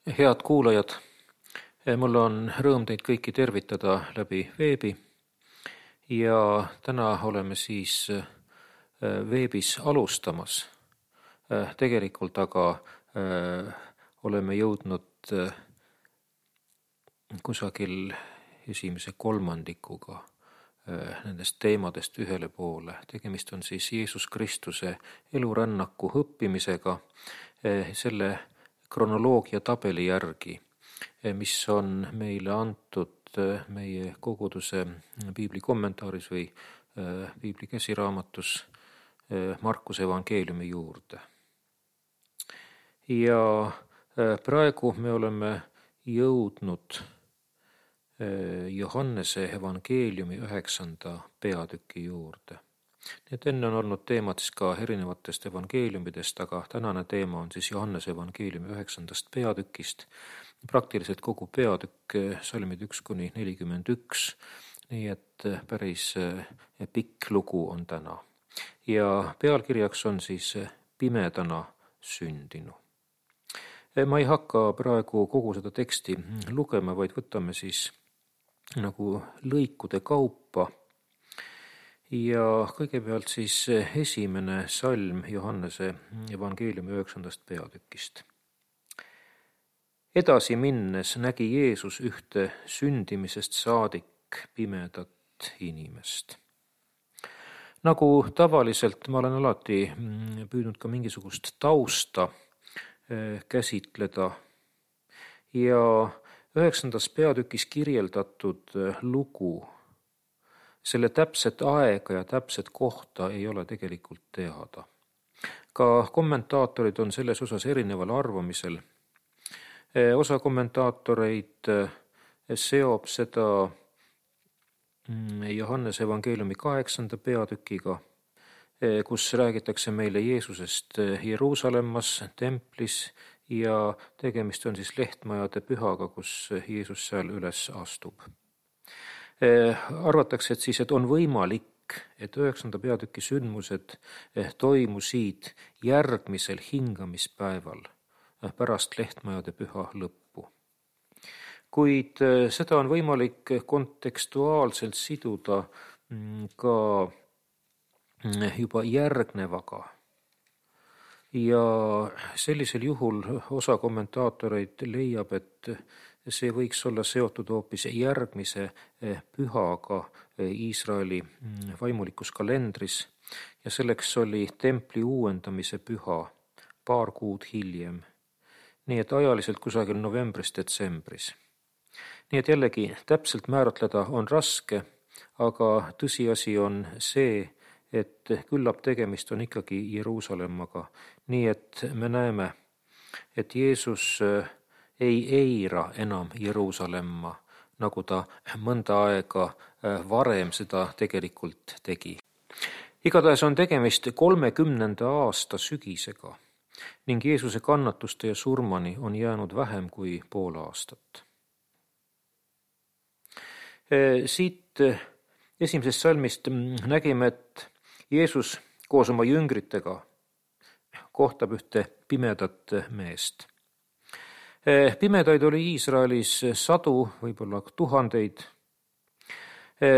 Head kuulajad, mul on rõõm teid kõiki tervitada läbi veebi ja täna oleme siis veebis alustamas. Tegelikult aga oleme jõudnud kusagil esimese kolmandikuga nendest teemadest ühele poole. Tegemist on siis Jeesus Kristuse elurännaku õppimisega, selle kronoloogia tabeli järgi, mis on meile antud meie koguduse piibli kommentaaris või piibli käsiraamatus Markuse evangeeliumi juurde. Ja praegu me oleme jõudnud Johannese evangeeliumi 9. peatüki juurde. Need enne on olnud teemad siis ka erinevatest evangeeliumidest, aga tänane teema on siis Johannese evangeeliumi 9. peatükist. Praktiliselt kogu peatükk salmid 1-41, nii et päris pikk lugu on täna. Ja pealkirjaks on siis Pimedana sündinu. Ma ei hakka praegu kogu seda teksti lugema, vaid võtame siis nagu lõikude kaupa. Ja kõigepealt siis esimene salm Johannese evangeeliumi 9. peatükist. Edasi minnes nägi Jeesus ühte sündimisest saadik pimedat inimest. Nagu tavaliselt ma olen alati püüdnud ka mingisugust tausta käsitleda ja 9. peatükis kirjeldatud lugu, selle täpset aega ja täpset kohta ei ole tegelikult teada. Ka kommentaatorid on selles osas erineval arvamisel. Osa kommentaatoreid seob seda Johannese evangeeliumi 8. peatükiga, kus räägitakse meile Jeesusest Jeruusalemmas templis ja tegemist on siis lehtmajade pühaga, kus Jeesus seal üles astub. Arvatakse, et on võimalik, et 9. peatüki sündmused toimusid järgmisel hingamispäeval pärast lehtmajade püha lõppu. Kuid seda on võimalik kontekstuaalselt siduda ka juba järgnevaga. Ja sellisel juhul osa kommentaatoreid leiab, et see võiks olla seotud hoopis järgmise pühaga Iisraeli vaimulikus kalendris ja selleks oli templi uuendamise püha paar kuud hiljem. Nii et ajaliselt kusagil novembris-detsembris. Nii et jällegi täpselt määratleda on raske, aga tõsiasi on see, et küllap tegemist on ikkagi Jeruusalemmaga. Nii et me näeme, et Jeesus ei eira enam Jeruusalemma, nagu ta mõnda aega varem seda tegelikult tegi. Igatahes on tegemist 30. aasta sügisega ning Jeesuse kannatuste ja surmani on jäänud vähem kui pool aastat. Siit esimesest salmist nägime, et Jeesus koos oma jüngritega kohtab ühte pimedat meest. Pimedaid oli Iisraelis sadu, võib-olla tuhandeid.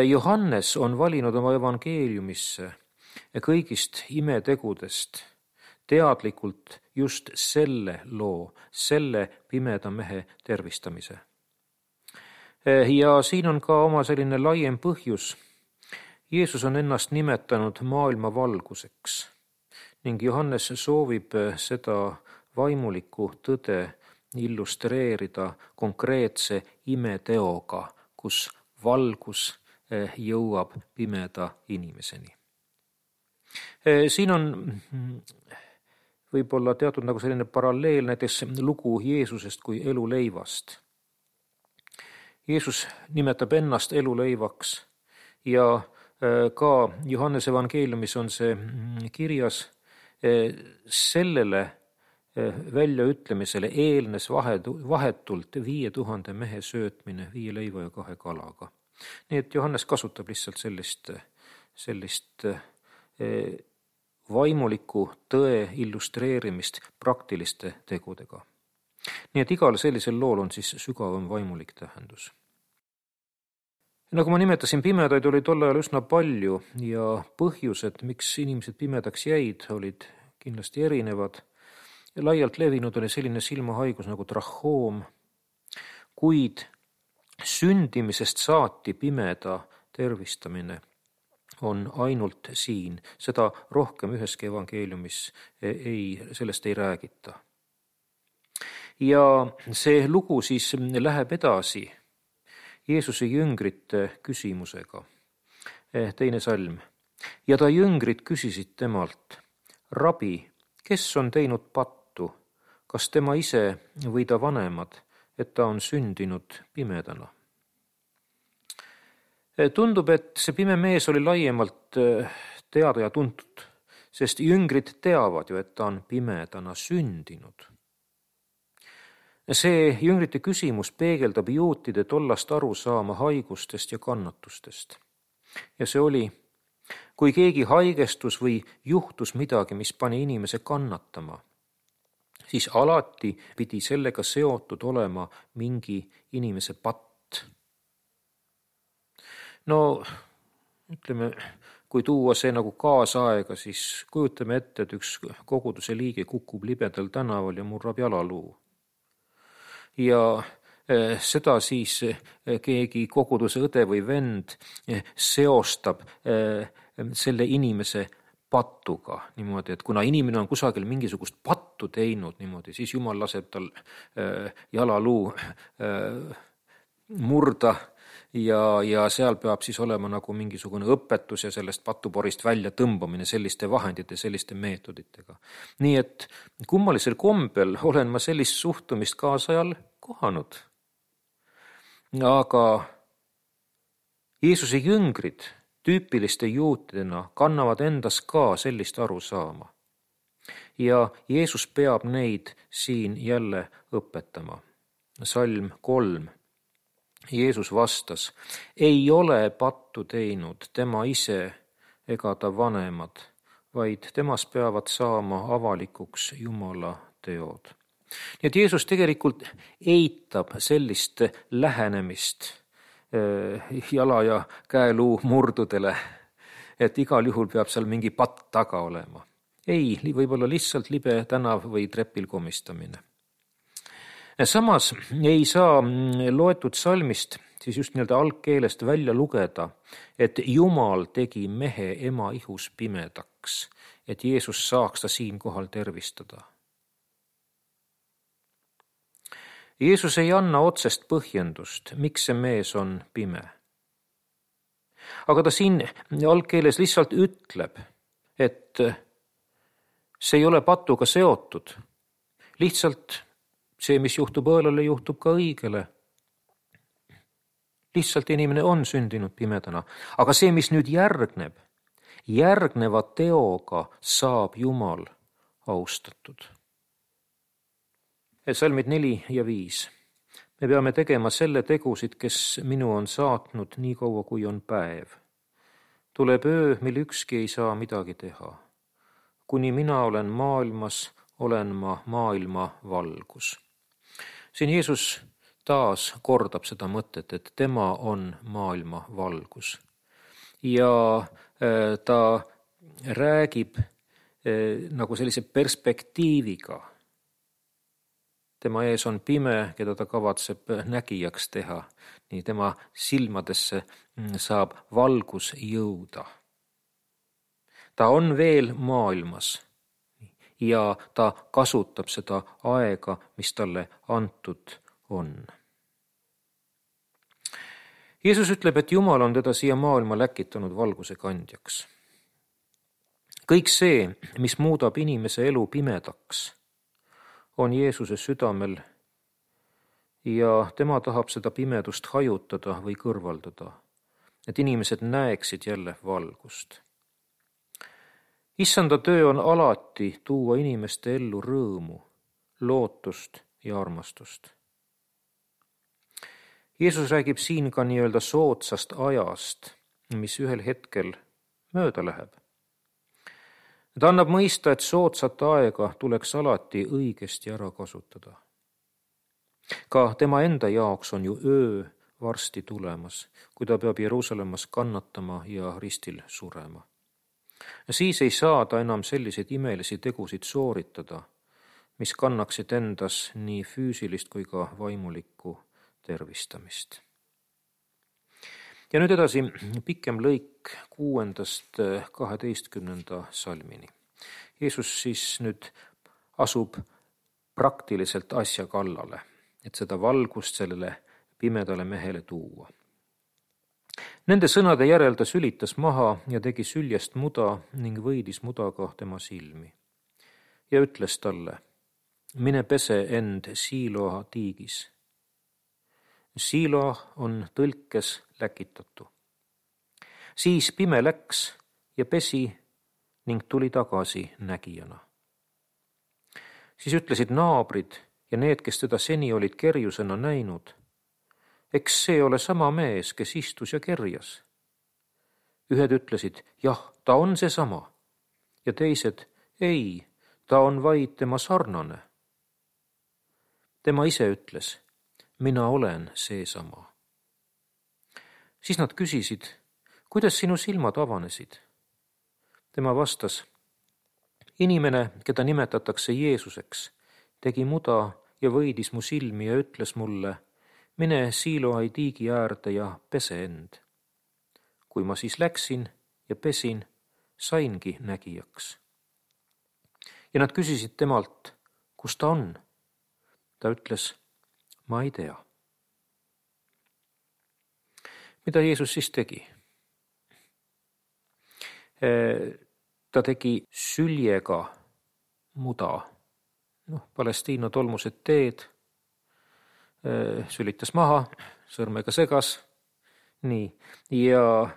Johannes on valinud oma evangeeliumisse kõigist imetegudest teadlikult just selle loo, selle pimeda mehe tervistamise. Ja siin on ka oma selline laiem põhjus. Jeesus on ennast nimetanud maailma valguseks ning Johannes soovib seda vaimulikku tõde illustreerida konkreetse imeteoga, kus valgus jõuab pimeda inimeseni. Siin on võib-olla teatud nagu selline paralleel näiteks lugu Jeesusest kui eluleivast. Jeesus nimetab ennast eluleivaks ja ka Johannese evangeeliumis on see kirjas. Sellele väljaütlemisele eelnes vahetult 5000 mehe söötmine 5 leiva ja 2 kalaga. Nii et Johannes kasutab lihtsalt sellist vaimuliku tõe illustreerimist praktiliste tegudega. Nii et igal sellisel lool on siis sügavam vaimulik tähendus. Nagu ma nimetasin, pimedaid oli tol ajal üsna palju ja põhjused, miks inimesed pimedaks jäid, olid kindlasti erinevad. Laialt levinud oli selline silmahaigus nagu trahoom, kuid sündimisest saati pimeda tervistamine on ainult siin. Seda rohkem üheski evangeeliumis sellest ei räägita. Ja see lugu siis läheb edasi Jeesuse jüngrite küsimusega. 2. salm. Ja ta jüngrid küsisid temalt, Rabi, kes on teinud pattu, kas tema ise või ta vanemad, et ta on sündinud pimedana? Tundub, et see pime mees oli laiemalt teada ja tuntud, sest jüngrid teavad ju, et ta on pimedana sündinud. See jüngrite küsimus peegeldab juutide tollast arusaama haigustest ja kannatustest. Ja see oli, kui keegi haigestus või juhtus midagi, mis pani inimese kannatama, siis alati pidi sellega seotud olema mingi inimese patt. No, ütleme, kui tuua see nagu kaasaega, siis kujutame ette, et üks koguduse liige kukub libedal tänaval ja murrab jalaluu. Ja seda siis keegi koguduse õde või vend seostab selle inimese pattuga niimoodi, et kuna inimene on kusagil mingisugust pattu teinud niimoodi, siis Jumal laseb tal jalaluu murda ja seal peab siis olema nagu mingisugune õpetus ja sellest patuporist välja tõmbamine selliste vahendite, selliste meetoditega. Nii et kummalisel kombel olen ma sellist suhtumist kaasajal kohanud. Aga Jeesuse jüngrid tüüpiliste juutidena kannavad endas ka sellist arusaama. Ja Jeesus peab neid siin jälle õpetama. Salm 3. Jeesus vastas, ei ole pattu teinud tema ise ega ta vanemad, vaid temas peavad saama avalikuks Jumala teod. Nii et Jeesus tegelikult eitab sellist lähenemist jala ja käeluu murdudele, et igal juhul peab seal mingi patt taga olema. Ei, võib-olla lihtsalt libe tänav või trepil komistamine. Samas ei saa loetud salmist siis just algkeelest välja lugeda, et Jumal tegi mehe ema ihus pimedaks, et Jeesus saaks ta siinkohal tervistada. Jeesus ei anna otsest põhjendust, miks see mees on pime. Aga ta siin algkeeles lihtsalt ütleb, et see ei ole patuga seotud. Lihtsalt see, mis juhtub õelale, juhtub ka õigele. Lihtsalt inimene on sündinud pimedana. Aga see, mis nüüd järgneva teoga saab Jumal austatud. Salmid 4 ja 5. Me peame tegema selle tegusid, kes minu on saatnud nii kaua, kui on päev. Tuleb öö, mil ükski ei saa midagi teha. Kuni mina olen maailmas, olen ma maailma valgus. Siin Jeesus taas kordab seda mõtet, et tema on maailma valgus. Ja ta räägib nagu sellise perspektiiviga. Tema ees on pime, keda ta kavatseb nägijaks teha. Nii tema silmadesse saab valgus jõuda. Ta on veel maailmas. Ja ta kasutab seda aega, mis talle antud on. Jeesus ütleb, et Jumal on teda siia maailma läkitanud valguse kandjaks. Kõik see, mis muudab inimese elu pimedaks, on Jeesuse südamel ja tema tahab seda pimedust hajutada või kõrvaldada, et inimesed näeksid jälle valgust. Issanda töö on alati tuua inimeste ellu rõõmu, lootust ja armastust. Jeesus räägib siin ka nii-öelda soodsast ajast, mis ühel hetkel mööda läheb. Ta annab mõista, et soodsat aega tuleks alati õigesti ära kasutada. Ka tema enda jaoks on ju öö varsti tulemas, kui ta peab Jeruusalemmas kannatama ja ristil surema. Siis ei saa ta enam selliseid imelisi tegusid sooritada, mis kannaksid endas nii füüsilist kui ka vaimulikku tervistamist. Ja nüüd edasi pikem lõik 6.–12. salmini. Jeesus siis nüüd asub praktiliselt asja kallale, et seda valgust sellele pimedale mehele tuua. Nende sõnade järel ta sülitas maha ja tegi süljest muda ning võidis mudaga tema silmi. Ja ütles talle, mine pese end Siiloa tiigis. Siiloa on tõlkes läkitatu. Siis pime läks ja pesi ning tuli tagasi nägijana. Siis ütlesid naabrid ja need, kes teda seni olid kerjusena näinud, eks see ole sama mees, kes istus ja kerjas. Ühed ütlesid, jah, ta on seesama, ja teised, ei, ta on vaid tema sarnane. Tema ise ütles, mina olen seesama. Siis nad küsisid, kuidas sinu silmad avanesid? Tema vastas, inimene, keda nimetatakse Jeesuseks, tegi muda ja võidis mu silmi ja ütles mulle, mine Siiloai tiigi äärde ja pese end. Kui ma siis läksin ja pesin, saingi nägijaks. Ja nad küsisid temalt, kus ta on? Ta ütles, ma ei tea. Mida Jeesus siis tegi? Ta tegi süljega muda. Palestiina tolmused teed, sülitas maha, sõrmega segas. Nii. Ja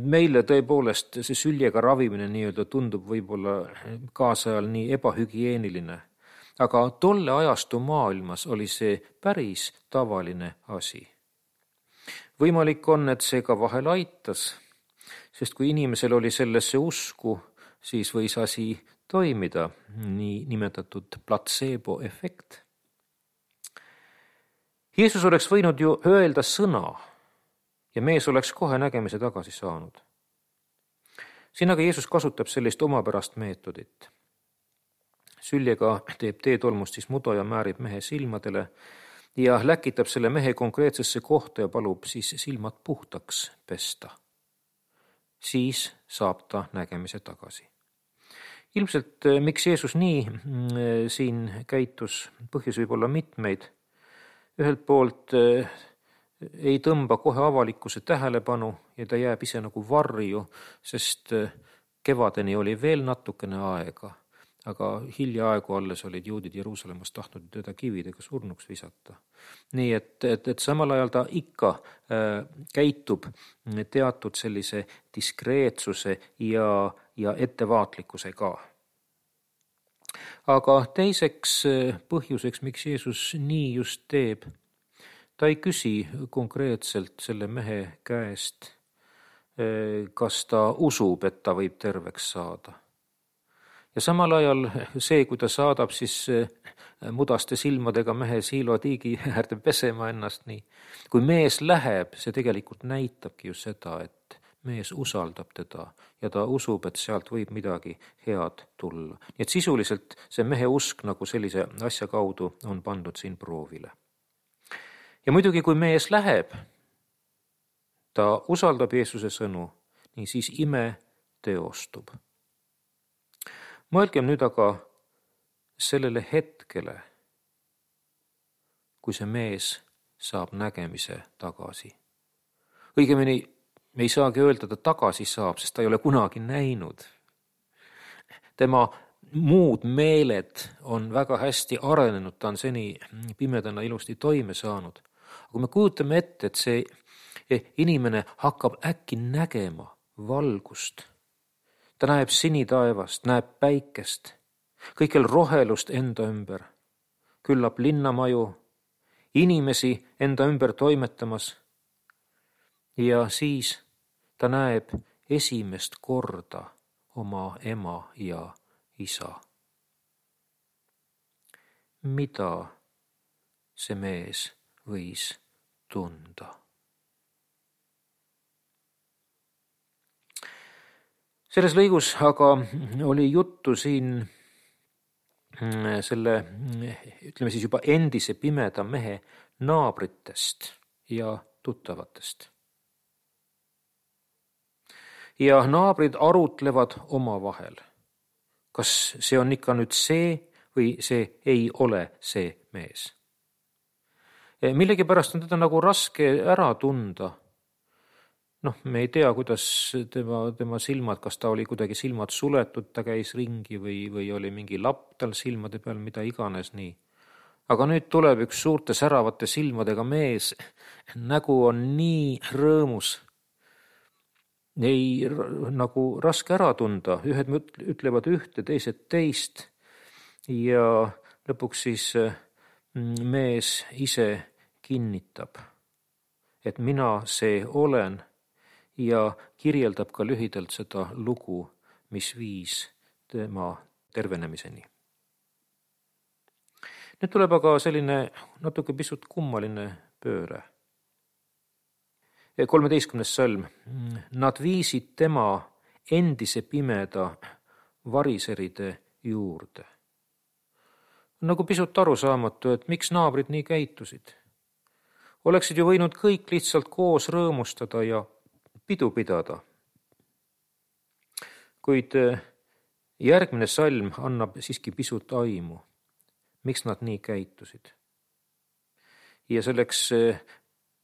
meile tõepoolest see süljega ravimine nii-öelda tundub võib-olla kaasajal nii ebahügieeniline. Aga tolle ajastu maailmas oli see päris tavaline asi. Võimalik on, et see ka vahel aitas, sest kui inimesel oli sellesse usku, siis võis asi toimida, nii nimetatud platseebo-efekt. Jeesus oleks võinud ju öelda sõna ja mees oleks kohe nägemise tagasi saanud. Siin aga Jeesus kasutab sellist omapärast meetodit. Süljega teeb teetolmust siis muda ja määrib mehe silmadele ja läkitab selle mehe konkreetsesse kohta ja palub siis silmad puhtaks pesta. Siis saab ta nägemise tagasi. Ilmselt, miks Jeesus nii siin käitus, põhjus võib olla mitmeid. Ühelt poolt ei tõmba kohe avalikkuse tähelepanu ja ta jääb ise nagu varju, sest kevadeni oli veel natukene aega, aga hiljaaegu alles olid juudid Jeruusalemmas tahtnud teda kividega surnuks visata. Nii et samal ajal ta ikka käitub teatud sellise diskreetsuse ja ettevaatlikkusega. Aga teiseks põhjuseks, miks Jeesus nii just teeb, ta ei küsi konkreetselt selle mehe käest, kas ta usub, et ta võib terveks saada. Ja samal ajal see, kui ta saadab siis mudaste silmadega mehe Siiloa tiigi äärde pesema ennast nii. Kui mees läheb, see tegelikult näitabki ju seda, et mees usaldab teda ja ta usub, et sealt võib midagi head tulla. Nii et sisuliselt see mehe usk nagu sellise asja kaudu on pandud siin proovile. Ja muidugi, kui mees läheb, ta usaldab Jeesuse sõnu, nii siis ime teostub. Mõelgem nüüd aga sellele hetkele, kui see mees saab nägemise tagasi. Õigemini me ei saagi öelda, ta tagasi saab, sest ta ei ole kunagi näinud. Tema muud meeled on väga hästi arenenud, ta on seni pimedana ilusti toime saanud. Aga kui me kujutame ette, et see inimene hakkab äkki nägema valgust, ta näeb sinitaevast, näeb päikest, kõikjal rohelust enda ümber, küllap linnamaju, inimesi enda ümber toimetamas ja siis ta näeb esimest korda oma ema ja isa. Mida see mees võis tunda. Selles lõigus aga oli juttu siin selle, ütleme siis juba endise pimeda mehe naabritest ja tuttavatest. Ja naabrid arutlevad omavahel. Kas see on ikka nüüd see või see ei ole see mees? Millegipärast on teda nagu raske ära tunda. Me ei tea, kuidas tema silmad, kas ta oli kuidagi silmad suletud, ta käis ringi või oli mingi lapp tal silmade peal, mida iganes nii. Aga nüüd tuleb üks suurte säravate silmadega mees, nägu on nii rõõmus. Ei nagu raske ära tunda, ühed ütlevad ühte, teised teist ja lõpuks siis mees ise kinnitab, et mina see olen ja kirjeldab ka lühidalt seda lugu, mis viis tema tervenemiseni. Nüüd tuleb aga selline natuke pisut kummaline pööre. 13. salm. Nad viisid tema endise pimeda variseride juurde. Nagu pisut arusaamatu, et miks naabrid nii käitusid. Oleksid ju võinud kõik lihtsalt koos rõõmustada ja pidu pidada. Kuid järgmine salm annab siiski pisut aimu, miks nad nii käitusid. Ja selleks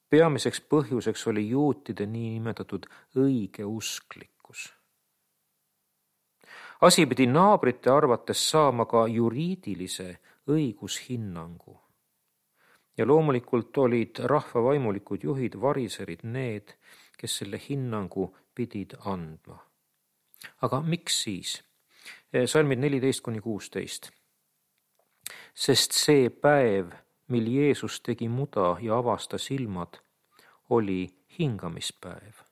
peamiseks põhjuseks oli juutide niinimetatud õigeusklikkus. Asi pidi naabrite arvates saama ka juriidilise õigushinnangu. Ja loomulikult olid rahva vaimulikud juhid, variserid need, kes selle hinnangu pidid andma. Aga miks siis? Salmid 14-16. Sest see päev, mil Jeesus tegi muda ja avastas silmad, oli hingamispäev.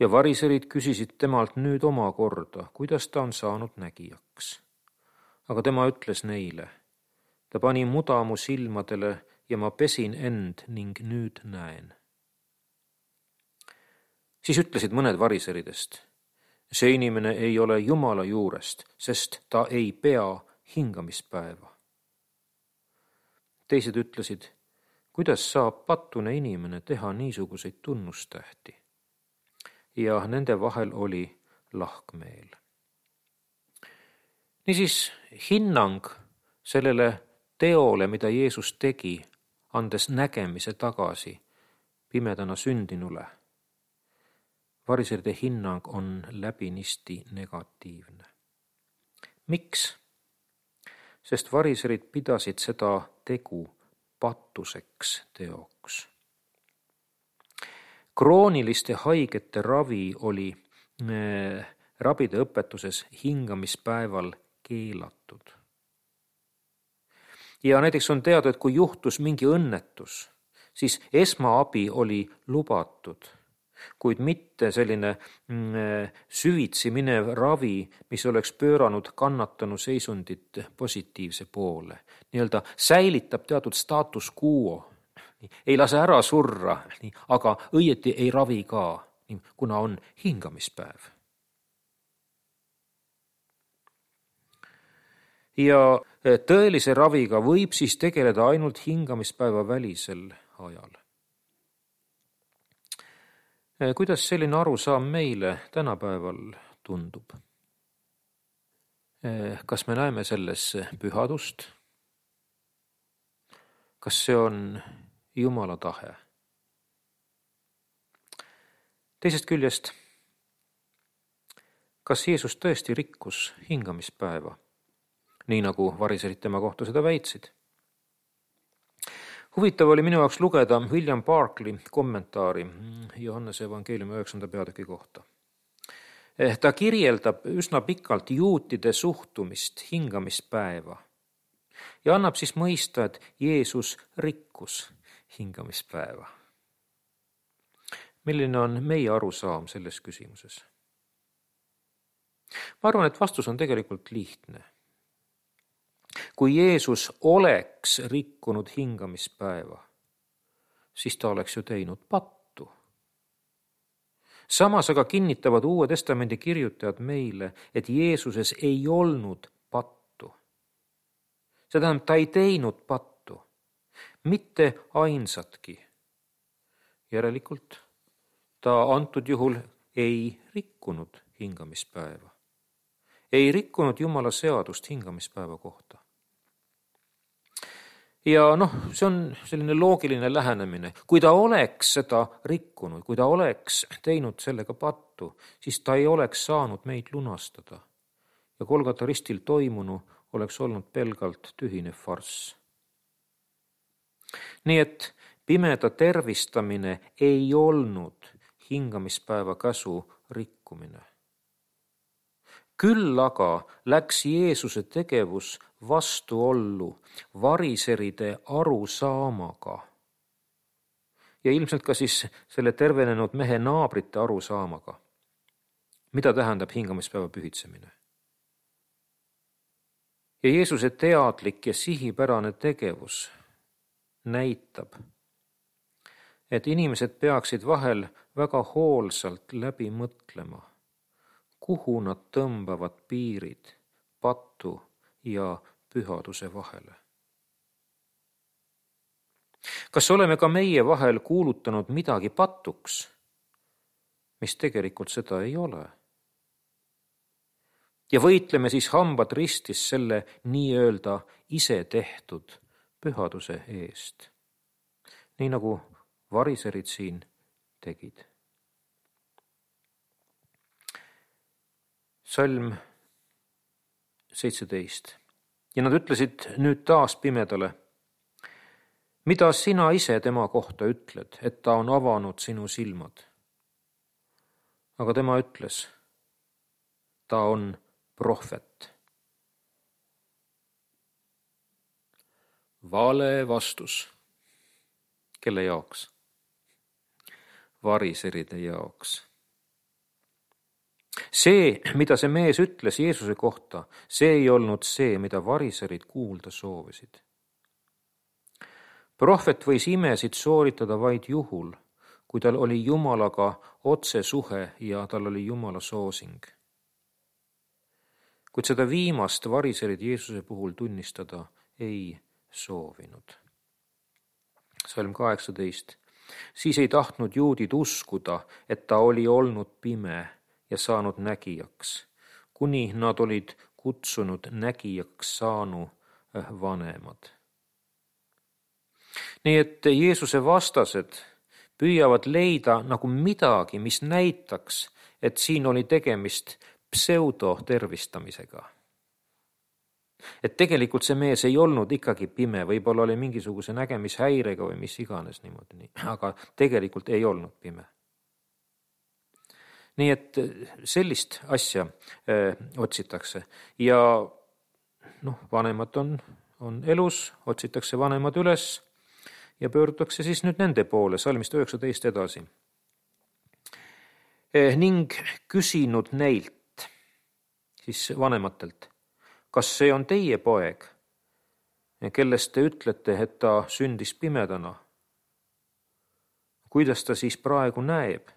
Ja variserid küsisid temalt nüüd omakorda, kuidas ta on saanud nägijaks. Aga tema ütles neile, ta pani muda mu silmadele ja ma pesin end ning nüüd näen. Siis ütlesid mõned variseridest, see inimene ei ole Jumala juurest, sest ta ei pea hingamispäeva. Teised ütlesid, kuidas saab patune inimene teha niisuguseid tunnustähti? Ja nende vahel oli lahkmeel. Niisiis hinnang sellele teole, mida Jeesus tegi, andes nägemise tagasi pimedana sündinule. Variseride hinnang on läbinisti negatiivne. Miks? Sest variserid pidasid seda tegu patuseks teoks. Krooniliste haigete ravi oli rabide õpetuses hingamispäeval keelatud. Ja näiteks on teada, et kui juhtus mingi õnnetus, siis esmaabi oli lubatud, kuid mitte selline süvitsi minev ravi, mis oleks pööranud kannatanu seisundit positiivse poole. Nii-öelda säilitab teatud status quo, ei lase ära surra, aga õieti ei ravi ka, kuna on hingamispäev. Ja tõelise raviga võib siis tegeleda ainult hingamispäeva välisel ajal. Kuidas selline arusaam meile tänapäeval tundub? Kas me näeme selles pühadust? Kas see on Jumala tahe? Teisest küljest, kas Jeesus tõesti rikkus hingamispäeva? Nii nagu variserid tema kohta seda väitsid. Huvitav oli minu jaoks lugeda William Barclay kommentaari Johannese evangeeliumi 9. peatüki kohta. Ta kirjeldab üsna pikalt juutide suhtumist hingamispäeva ja annab siis mõista, et Jeesus rikkus hingamispäeva. Milline on meie arusaam selles küsimuses? Ma arvan, et vastus on tegelikult lihtne. Kui Jeesus oleks rikkunud hingamispäeva, siis ta oleks ju teinud pattu. Samas aga kinnitavad Uue Testamendi kirjutajad meile, et Jeesuses ei olnud pattu. See tähendab, ta ei teinud pattu, mitte ainsatki. Järelikult ta antud juhul ei rikkunud hingamispäeva. Ei rikkunud Jumala seadust hingamispäeva kohta. Ja see on selline loogiline lähenemine. Kui ta oleks seda rikkunud, kui ta oleks teinud sellega pattu, siis ta ei oleks saanud meid lunastada. Ja Golgata ristil toimunu oleks olnud pelgalt tühine farss. Nii et pimeda tervistamine ei olnud hingamispäeva käsu rikkumine. Küll aga läks Jeesuse tegevus vastuollu variseride arusaamaga ja ilmselt ka siis selle tervenenud mehe naabrite arusaamaga. Mida tähendab hingamispäeva pühitsemine? Ja Jeesuse teadlik ja sihipärane tegevus näitab, et inimesed peaksid vahel väga hoolsalt läbi mõtlema, kuhu nad tõmbavad piirid pattu ja pühaduse vahele. Kas oleme ka meie vahel kuulutanud midagi patuks, mis tegelikult seda ei ole? Ja võitleme siis hambad ristis selle nii-öelda ise tehtud pühaduse eest, nii nagu variserid siin tegid. Salm 17. Ja nad ütlesid nüüd taas pimedale, mida sina ise tema kohta ütled, et ta on avanud sinu silmad? Aga tema ütles, ta on prohvet. Vale vastus. Kelle jaoks? Variseride jaoks. See, mida see mees ütles Jeesuse kohta, see ei olnud see, mida variserid kuulda soovisid. Prohvet võis imesid sooritada vaid juhul, kui tal oli Jumalaga otsesuhe ja tal oli Jumala soosing. Kuid seda viimast variserid Jeesuse puhul tunnistada ei soovinud. Salm 18. Siis ei tahtnud juudid uskuda, et ta oli olnud pime ja saanud nägijaks, kuni nad olid kutsunud nägijaks saanu vanemad. Nii et Jeesuse vastased püüavad leida nagu midagi, mis näitaks, et siin oli tegemist pseudotervistamisega. Et tegelikult see mees ei olnud ikkagi pime, võib-olla oli mingisuguse nägemishäirega või mis iganes niimoodi, aga tegelikult ei olnud pime. Nii et sellist asja otsitakse ja vanemad on elus, otsitakse vanemad üles ja pöördutakse siis nüüd nende poole, salmist 19 edasi. Ning küsinud neilt, siis vanematelt, kas see on teie poeg, kellest te ütlete, et ta sündis pimedana? Kuidas ta siis praegu näeb?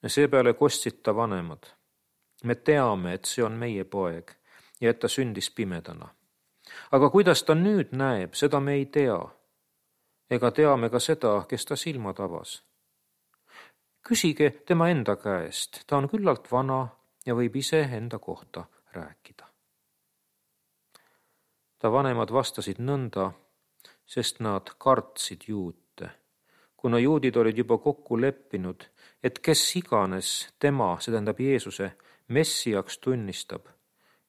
Seepeale kostsid ta vanemad. Me teame, et see on meie poeg ja et ta sündis pimedana. Aga kuidas ta nüüd näeb, seda me ei tea. Ega teame ka seda, kes ta silmad avas. Küsige tema enda käest, ta on küllalt vana ja võib ise enda kohta rääkida. Ta vanemad vastasid nõnda, sest nad kartsid juute, kuna juudid olid juba kokku leppinud, et kes iganes tema, see tähendab Jeesuse, messiaks tunnistab,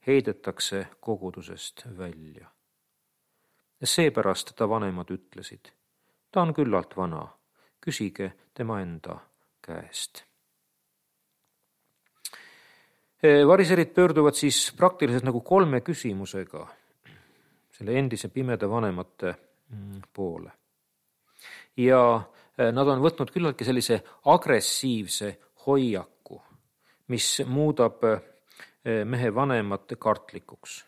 heidetakse kogudusest välja. Seepärast ta vanemad ütlesid, ta on küllalt vana, küsige tema enda käest. Variserid pöörduvad siis praktiliselt nagu 3 küsimusega selle endise pimeda vanemate poole. Ja nad on võtnud küllaltki sellise agressiivse hoiaku, mis muudab mehe vanemate kartlikuks.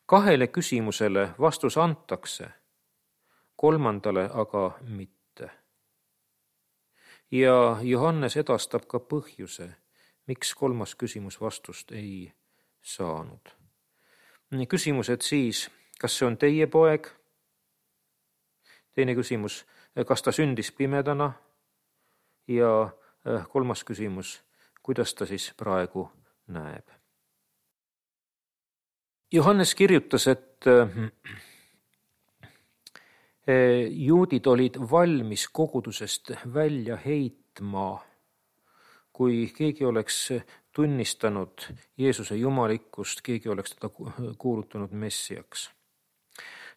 2 küsimusele vastus antakse, 3 aga mitte. Ja Johannes edastab ka põhjuse, miks 3. küsimus vastust ei saanud. Küsimused siis, kas see on teie poeg? Teine küsimus, kas ta sündis pimedana? Ja 3. küsimus, kuidas ta siis praegu näeb? Johannes kirjutas, et juudid olid valmis kogudusest välja heitma, kui keegi oleks tunnistanud Jeesuse jumalikkust, keegi oleks teda kuulutanud messiaks.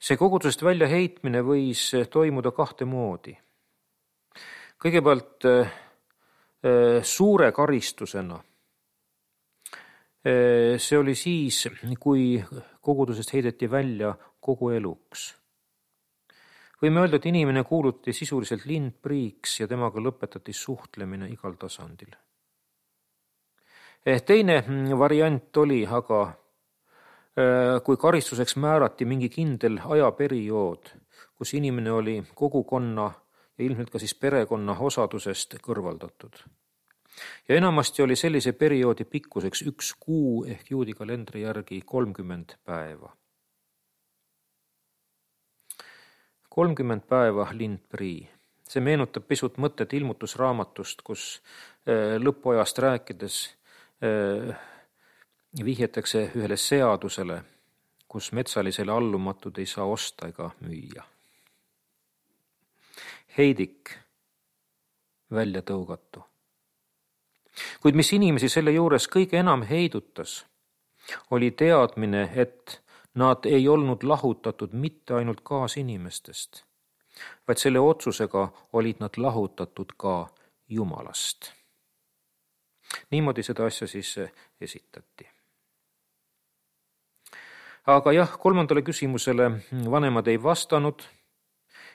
See kogudusest välja heitmine võis toimuda 2 moodi. Kõigepealt suure karistusena. See oli siis, kui kogudusest heideti välja kogu eluks. Võime öelda, et inimene kuulutati sisuliselt lindpriiks ja temaga lõpetati suhtlemine igal tasandil. Teine variant oli aga, kui karistuseks määrati mingi kindel ajaperiood, kus inimene oli kogukonna ja ilmselt ka siis perekonna osadusest kõrvaldatud. Ja enamasti oli sellise perioodi pikkuseks 1 kuu ehk juudi kalendri järgi 30 päeva. 30 päeva lindprii. See meenutab pisut mõtet ilmutusraamatust, kus lõpuajast rääkides vihjetakse ühele seadusele, kus metsalisele allumatud ei saa osta ega müüa. Heidik, välja tõugatu. Kuid mis inimesi selle juures kõige enam heidutas, oli teadmine, et nad ei olnud lahutatud mitte ainult kaasinimestest, vaid selle otsusega olid nad lahutatud ka Jumalast. Niimoodi seda asja siis esitati. Aga jah, 3. küsimusele vanemad ei vastanud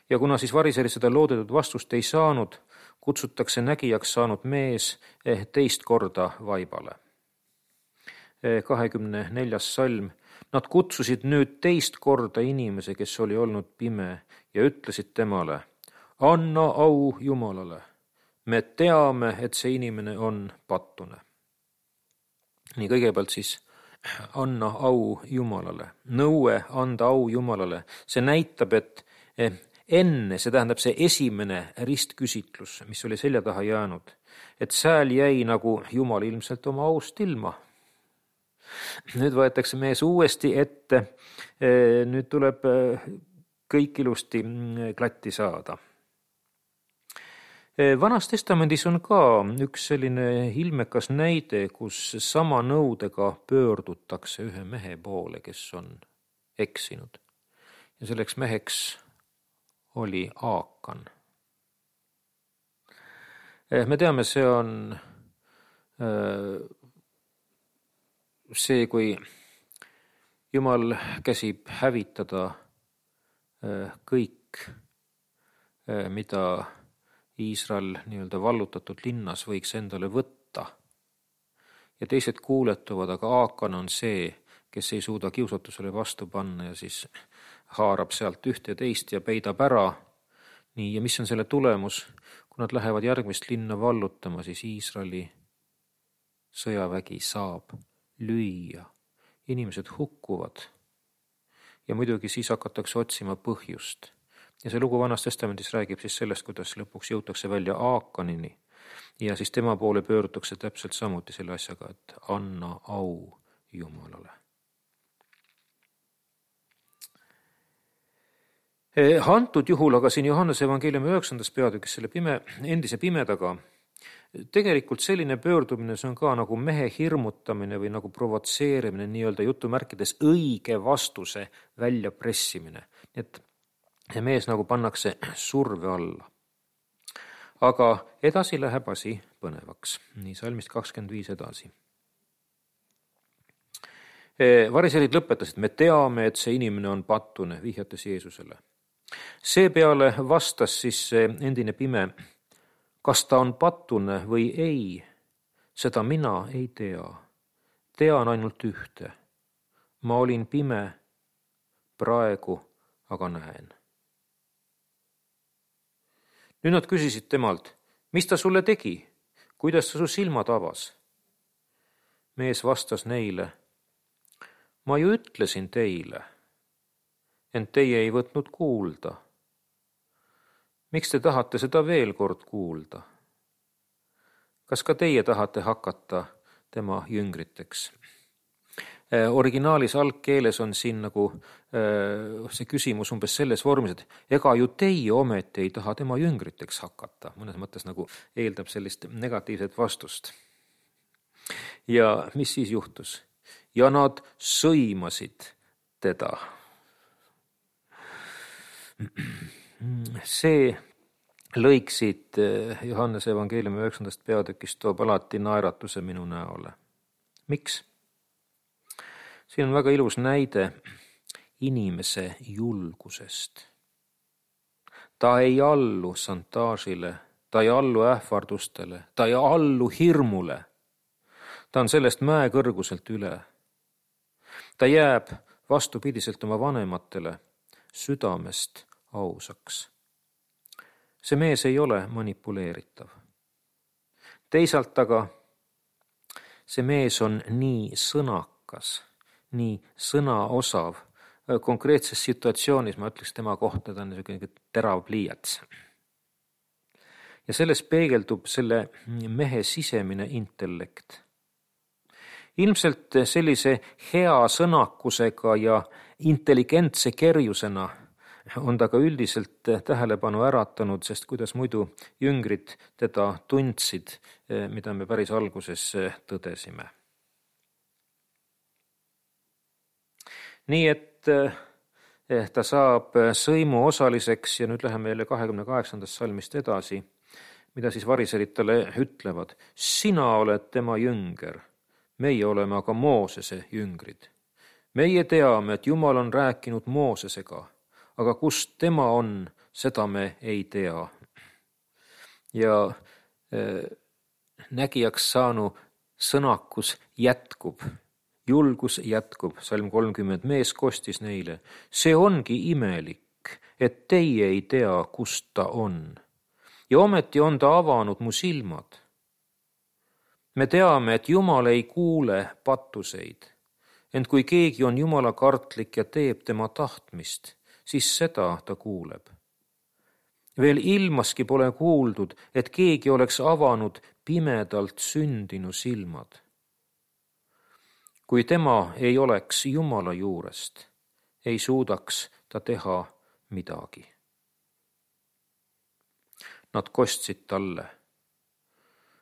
ja kuna siis variserid seda loodetud vastust ei saanud, kutsutakse nägijaks saanud mees 2 korda vaibale. 24. salm. Nad kutsusid nüüd 2 korda inimese, kes oli olnud pime ja ütlesid temale, anna au Jumalale. Me teame, et see inimene on pattune. Nii kõigepealt siis anna au Jumalale. Nõue anda au Jumalale. See näitab, et enne, see tähendab see esimene ristküsitlus, mis oli selja taha jäänud, et sääl jäi nagu Jumal ilmselt oma aust ilma. Nüüd võetakse mees uuesti ette, nüüd tuleb kõik ilusti klatti saada. Vanas testamendis on ka üks selline ilmekas näide, kus sama nõudega pöördutakse ühe mehe poole, kes on eksinud. Ja selleks meheks oli Aakan. Me teame, see on see, kui Jumal käsib hävitada kõik, mida Iisrael nii-öelda vallutatud linnas võiks endale võtta. Ja teised kuuletuvad, aga Aakan on see, kes ei suuda kiusatusele vastu panna ja siis haarab sealt ühte ja teist ja peidab ära. Nii, ja mis on selle tulemus? Kui nad lähevad järgmist linna vallutama, siis Iisraeli sõjavägi saab lüüa. Inimesed hukkuvad ja muidugi siis hakatakse otsima põhjust. Ja see lugu Vanas testamendis räägib siis sellest, kuidas lõpuks jõutakse välja Aakanini ja siis tema poole pöördutakse täpselt samuti selle asjaga, et anna au Jumalale. Antud juhul aga siin Johannese evangeeliumi 9. peatükis selle endise pimedaga tegelikult selline pöördumine, see on ka nagu mehe hirmutamine või nagu provotseerimine, nii-öelda jutumärkides õige vastuse väljapressimine. Et see mees nagu pannakse surve alla. Aga edasi läheb asi põnevaks. Nii salmist 25 edasi. Variserid lõpetasid, me teame, et see inimene on pattune, vihjates Jeesusele. Seepeale vastas siis endine pime, kas ta on pattune või ei, seda mina ei tea. Tean ainult ühte. Ma olin pime praegu aga näen. Nüüd nad küsisid temalt, mis ta sulle tegi, kuidas ta su silmad avas? Mees vastas neile, ma ju ütlesin teile, ent teie ei võtnud kuulda. Miks te tahate seda veel kord kuulda? Kas ka teie tahate hakata tema jüngriteks? Originaalis algkeeles on siin nagu see küsimus umbes selles vormis, et ega ju teie ometi ei taha tema jüngriteks hakata. Mõnes mõttes nagu eeldab sellist negatiivset vastust. Ja mis siis juhtus? Ja nad sõimasid teda. See lõik siit Johannese evangeeliumi 9. peatükist toob alati naeratuse minu näole. Miks? Siin on väga ilus näide inimese julgusest. Ta ei allu šantaažile, ta ei allu ähvardustele, ta ei allu hirmule. Ta on sellest mäekõrguselt üle. Ta jääb vastupidiselt oma vanematele südamest ausaks. See mees ei ole manipuleeritav. Teisalt aga see mees on nii sõnakas, nii sõnaosav. Konkreetses situatsioonis ma ütleks tema kohta, ta on niisugune terav pliiats. Ja selles peegeldub selle mehe sisemine intellekt. Ilmselt sellise hea sõnakusega ja intelligentse kerjusena on ta ka üldiselt tähelepanu äratanud, sest kuidas muidu jüngrid teda tundsid, mida me päris alguses tõdesime. Nii et ta saab sõimu osaliseks ja nüüd läheme meile 28. salmist edasi, mida siis variserid talle ütlevad. Sina oled tema jünger, meie oleme aga Moosese jüngrid. Meie teame, et Jumal on rääkinud Moosesega, aga kust tema on, seda me ei tea. Ja nägijaks saanu sõnakus jätkub. Julgus jätkub, salm 30, mees kostis neile. See ongi imelik, et teie ei tea, kust ta on. Ja ometi on ta avanud mu silmad. Me teame, et Jumal ei kuule pattuseid. Ent kui keegi on Jumala kartlik ja teeb tema tahtmist, siis seda ta kuuleb. Veel ilmaski pole kuuldud, et keegi oleks avanud pimedalt sündinu silmad. Kui tema ei oleks Jumala juurest, ei suudaks ta teha midagi. Nad kostsid talle.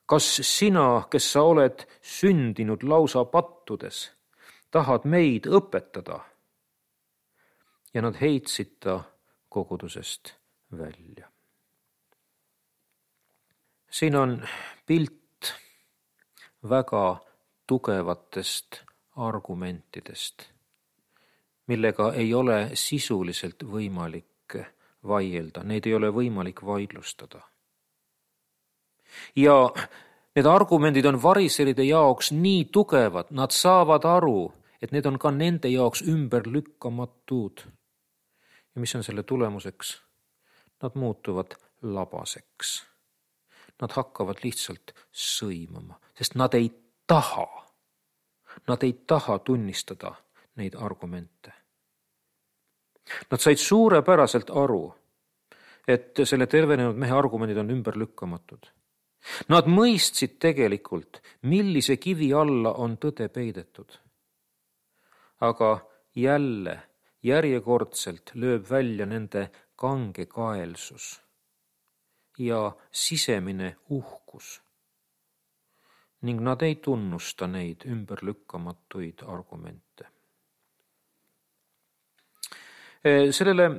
Kas sina, kes sa oled sündinud lausa pattudes, tahad meid õpetada? Ja nad heitsid ta kogudusest välja. Siin on pilt väga tugevatest argumentidest, millega ei ole sisuliselt võimalik vaielda, neid ei ole võimalik vaidlustada. Ja need argumendid on variseride jaoks nii tugevad, nad saavad aru, et need on ka nende jaoks ümberlükkamatud. Ja mis on selle tulemuseks? Nad muutuvad labaseks. Nad hakkavad lihtsalt sõimama, sest nad ei taha. Nad ei taha tunnistada neid argumente. Nad said suurepäraselt aru, et selle tervenenud mehe argumendid on ümberlükkamatud. Nad mõistsid tegelikult, millise kivi alla on tõde peidetud. Aga jälle, järjekordselt lööb välja nende kangekaelsus ja sisemine uhkus. Ning nad ei tunnusta neid ümberlükkamatuid argumente. Sellele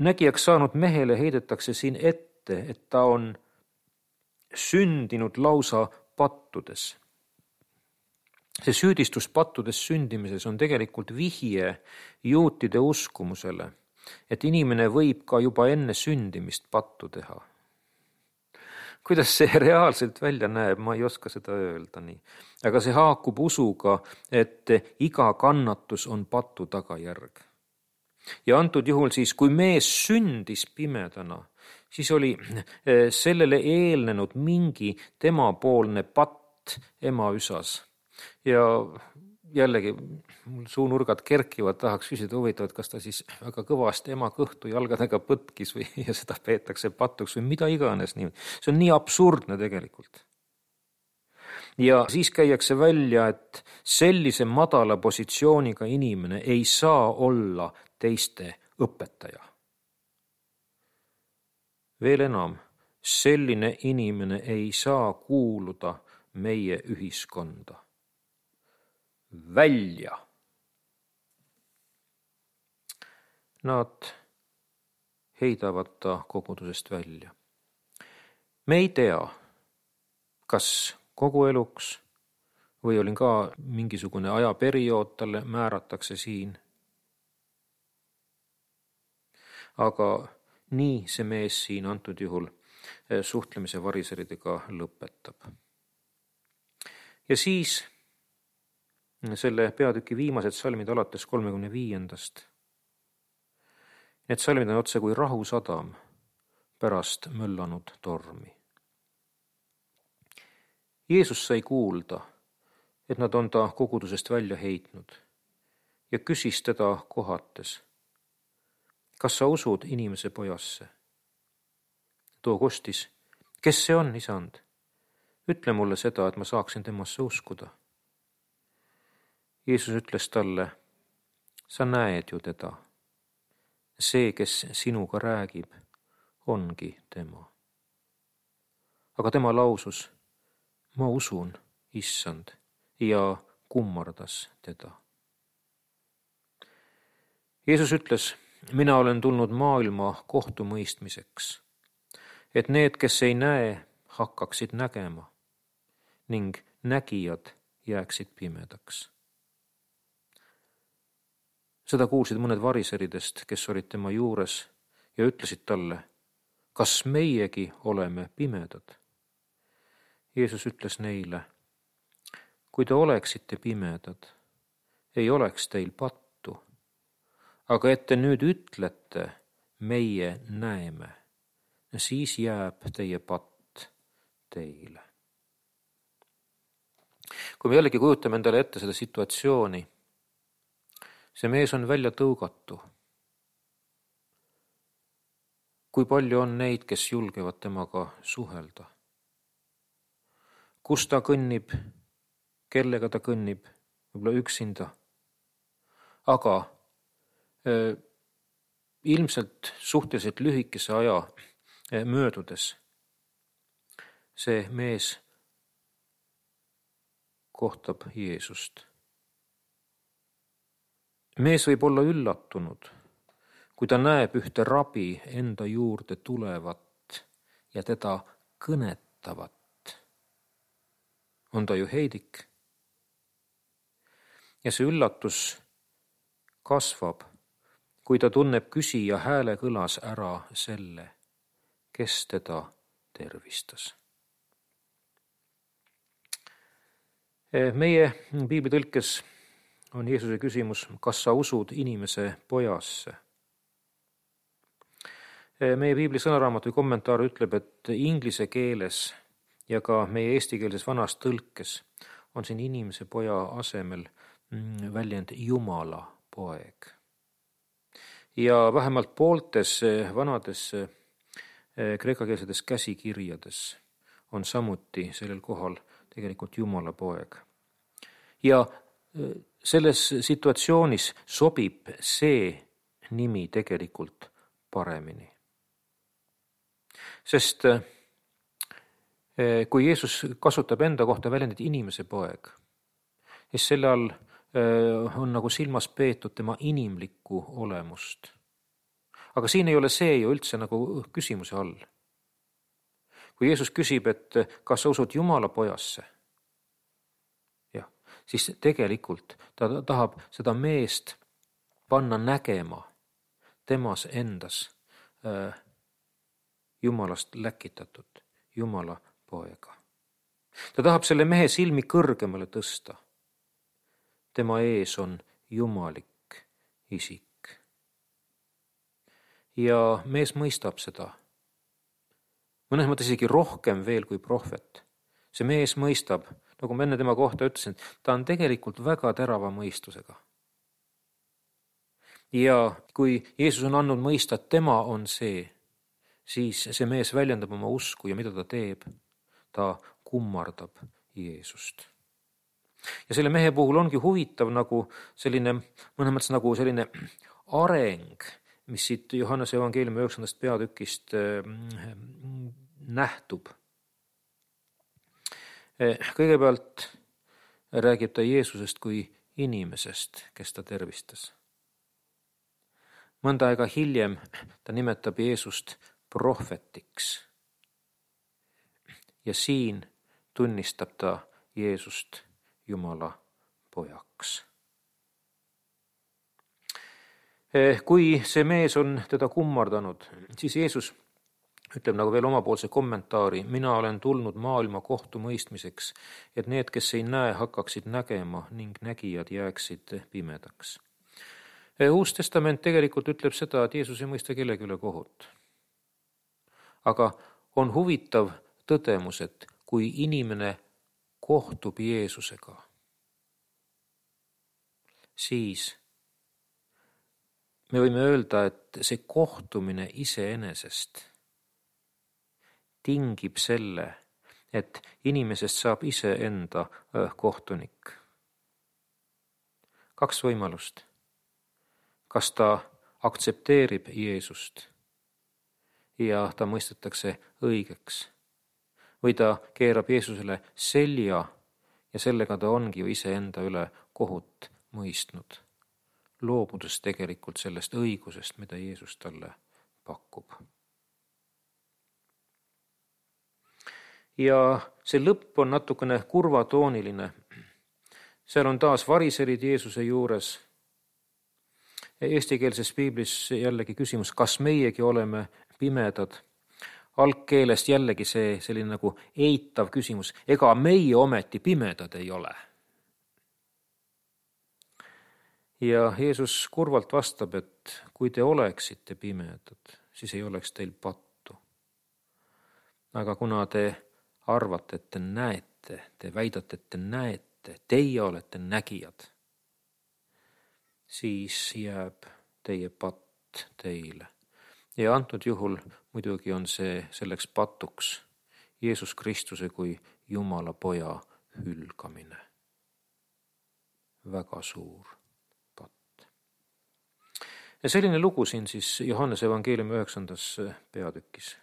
nägijaks saanud mehele heidetakse siin ette, et ta on sündinud lausa pattudes. See süüdistus pattudes sündimises on tegelikult vihje juutide uskumusele, et inimene võib ka juba enne sündimist pattu teha. Kuidas see reaalselt välja näeb, ma ei oska seda öelda nii. Aga see haakub usuga, et iga kannatus on patu tagajärg. Ja antud juhul siis, kui mees sündis pimedana, siis oli sellele eelnenud mingi temapoolne patt ema üsas. Ja jällegi mul suunurgad kerkivad, tahaks küsida huvitavat, kas ta siis väga kõvasti ema kõhtu jalgadega põtkis või ja seda peetakse patuks või mida iganes. See on nii absurdne tegelikult. Ja siis käiakse välja, et sellise madala positsiooniga inimene ei saa olla teiste õpetaja. Veel enam, selline inimene ei saa kuuluda meie ühiskonda. Välja. Nad heidavad ta kogudusest välja. Me ei tea, kas kogu eluks või olin ka mingisugune ajaperiood talle määratakse siin. Aga nii see mees siin antud juhul suhtlemise variseridega lõpetab. Ja siis selle peatüki viimased salmid alates 35. Need salmid on otse kui rahusadam pärast möllanud tormi. Jeesus sai kuulda, et nad on ta kogudusest välja heitnud ja küsis teda kohates, kas sa usud inimese pojasse? Too kostis, kes see on, isand? Ütle mulle seda, et ma saaksin temasse uskuda. Jeesus ütles talle, sa näed ju teda. See, kes sinuga räägib, ongi tema. Aga tema lausus, ma usun, issand, ja kummardas teda. Jeesus ütles, mina olen tulnud maailma kohtumõistmiseks, et need, kes ei näe, hakkaksid nägema ning nägijad jääksid pimedaks. Seda kuulsid mõned variseridest, kes olid tema juures ja ütlesid talle, kas meiegi oleme pimedad? Jeesus ütles neile, kui te oleksite pimedad, ei oleks teil pattu, aga et te nüüd ütlete, meie näeme, siis jääb teie patt teile. Kui me jällegi kujutame endale ette seda situatsiooni, see mees on välja tõugatu. Kui palju on neid, kes julgevad temaga suhelda? Kus ta kõnnib, kellega ta kõnnib, võib-olla üksinda. Aga ilmselt suhteliselt lühikese aja möödudes see mees kohtab Jeesust. Mees võib olla üllatunud, kui ta näeb ühte rabi enda juurde tulevat ja teda kõnetavat. On ta ju heidik. Ja see üllatus kasvab, kui ta tunneb küsija hääle kõlas ära selle, kes teda tervistas. Meie piiblitõlkes on Jeesuse küsimus, kas sa usud inimese pojasse? Meie piibli sõnaraamatu kommentaar ütleb, et inglise keeles ja ka meie eestikeelses vanas tõlkes on siin inimese poja asemel väljend Jumala poeg. Ja vähemalt pooltes vanades kreekakeelsetes käsikirjades on samuti sellel kohal tegelikult Jumala poeg. Ja selles situatsioonis sobib see nimi tegelikult paremini. Sest kui Jeesus kasutab enda kohta väljendit inimese poeg, siis selle all on nagu silmas peetud tema inimlikku olemust. Aga siin ei ole see ju üldse nagu küsimuse all. Kui Jeesus küsib, et kas sa usud Jumala pojasse, siis tegelikult ta tahab seda meest panna nägema temas endas Jumalast läkitatud, Jumala poega. Ta tahab selle mehe silmi kõrgemale tõsta. Tema ees on jumalik isik. Ja mees mõistab seda. Mõnes mõttes isegi rohkem veel kui prohvet. See mees mõistab, nagu ma enne tema kohta ütlesin, ta on tegelikult väga terava mõistusega. Ja kui Jeesus on andnud mõista, et tema on see, siis see mees väljendab oma usku ja mida ta teeb? Ta kummardab Jeesust. Ja selle mehe puhul ongi huvitav nagu selline, mõnes mõttes nagu selline areng, mis siit Johannese evangeeliumi 9. peatükist nähtub. Kõigepealt räägib ta Jeesusest kui inimesest, kes ta tervistas. Mõnda aega hiljem ta nimetab Jeesust prohvetiks. Ja siin tunnistab ta Jeesust Jumala pojaks. Kui see mees on teda kummardanud, siis Jeesus ütleb nagu veel omapoolse kommentaari: mina olen tulnud maailma kohtumõistmiseks, et need, kes ei näe, hakkaksid nägema ning nägijad jääksid pimedaks. Uus testament tegelikult ütleb seda, et Jeesus ei mõista kellegi üle kohut. Aga on huvitav tõdemus, et kui inimene kohtub Jeesusega, siis me võime öelda, et see kohtumine iseenesest tingib selle, et inimesest saab iseenda kohtunik. 2 võimalust. Kas ta aktsepteerib Jeesust ja ta mõistetakse õigeks, või ta keerab Jeesusele selja ja sellega ta ongi ju iseenda üle kohut mõistnud, loobudes tegelikult sellest õigusest, mida Jeesus talle pakub. Ja see lõpp on natukene kurvatooniline. Seal on taas variserid Jeesuse juures. Eestikeelses piiblis jällegi küsimus, kas meiegi oleme pimedad. Algkeelest jällegi see selline nagu eitav küsimus. Ega meie ometi pimedad ei ole. Ja Jeesus kurvalt vastab, et kui te oleksite pimedad, siis ei oleks teil pattu. Aga kuna te arvate, et te näete, te väidate, et te näete, teie olete nägijad, siis jääb teie patt teile. Ja antud juhul muidugi on see selleks patuks Jeesus Kristuse kui Jumala poja hülgamine. Väga suur patt. Ja selline lugu siin siis Johannese evangeeliumi 9. peatükis.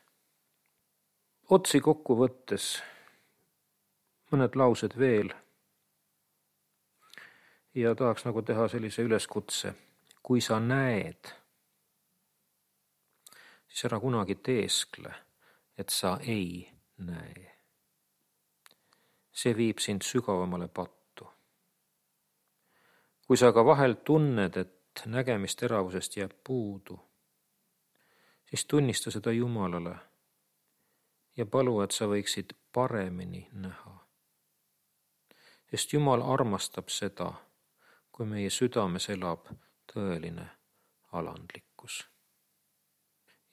Otsi kokku võttes mõned laused veel ja tahaks nagu teha sellise üleskutse. Kui sa näed, siis ära kunagi teeskle, et sa ei näe. See viib sind sügavamale pattu. Kui sa aga vahel tunned, et nägemisteravusest jääb puudu, siis tunnista seda Jumalale ja palu, et sa võiksid paremini näha. Sest Jumal armastab seda, kui meie südames elab tõeline alandlikkus.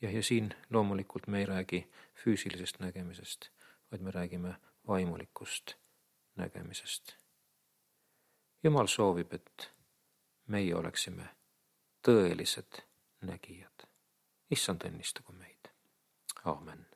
Ja siin loomulikult me ei räägi füüsilisest nägemisest, vaid me räägime vaimulikust nägemisest. Jumal soovib, et meie oleksime tõelised nägijad. Issand õnnistagu meid. Aamen.